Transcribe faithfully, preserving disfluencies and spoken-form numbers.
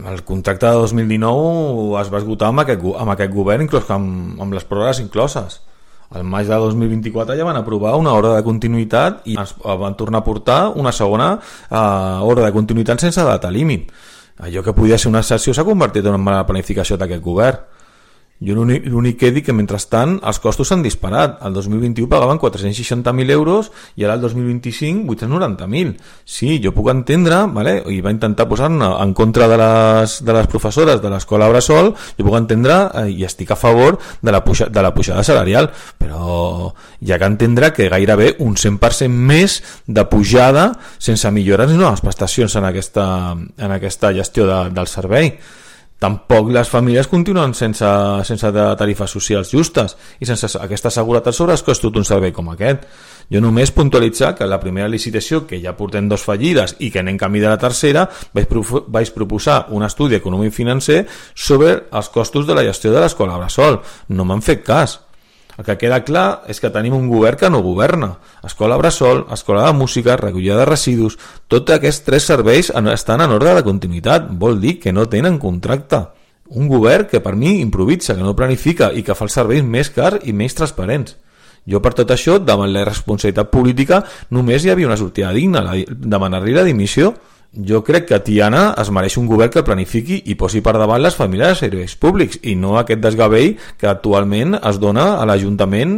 el contracte de dos mil dinou es va esgotar amb aquest, amb aquest govern, inclús amb, amb les pròrrogues incloses. Al maig de dos mil vint-i-quatre ja van aprovar una ordre de continuïtat i ens van tornar a portar una segona eh, ordre de continuïtat sense data límit. Allò que podia ser una excepció s'ha convertit en una mala planificació d'aquest govern. Jo l'únic que dic que mentrestant els costos s'han disparat. El dos mil vint-i-u pagaven quatre-cents seixanta mil euros i ara el dos mil vint-i-cinc vuit-cents noranta mil. Sí, jo puc entendre, vale? I va intentar posar-ne en contra de les, de les professores de l'escola Bressol, jo puc entendre eh, i estic a favor de la, puja, de la pujada salarial, però hi ha que entendre que gairebé un cent per cent més de pujada sense millores ni noves prestacions en aquesta, en aquesta gestió de, del servei. Tampoc les famílies continuen sense, sense tarifes socials justes i sense aquesta seguretat sobre els costos d'un servei com aquest. Jo només puntualitzar que la primera licitació, que ja portem dos fallides i que anem camí de la tercera, vaig, pro vaig proposar un estudi econòmic financer sobre els costos de la gestió de l'escola Bressol. No m'han fet cas. El que queda clar és que tenim un govern que no governa. Escola Bressol, escola de música, recollida de residus, tots aquests tres serveis estan en ordre de continuïtat. Vol dir que no tenen contracte. Un govern que per mi improvisa, que no planifica i que fa els serveis més cars i més transparents. Jo per tot això, davant la irresponsabilitat política, només hi havia una sortida digna, demanar-li la dimissió. Jo crec que Tiana es mereix un govern que planifiqui i posi per davant les famílies de serveis públics i no aquest desgavell que actualment es dona a l'Ajuntament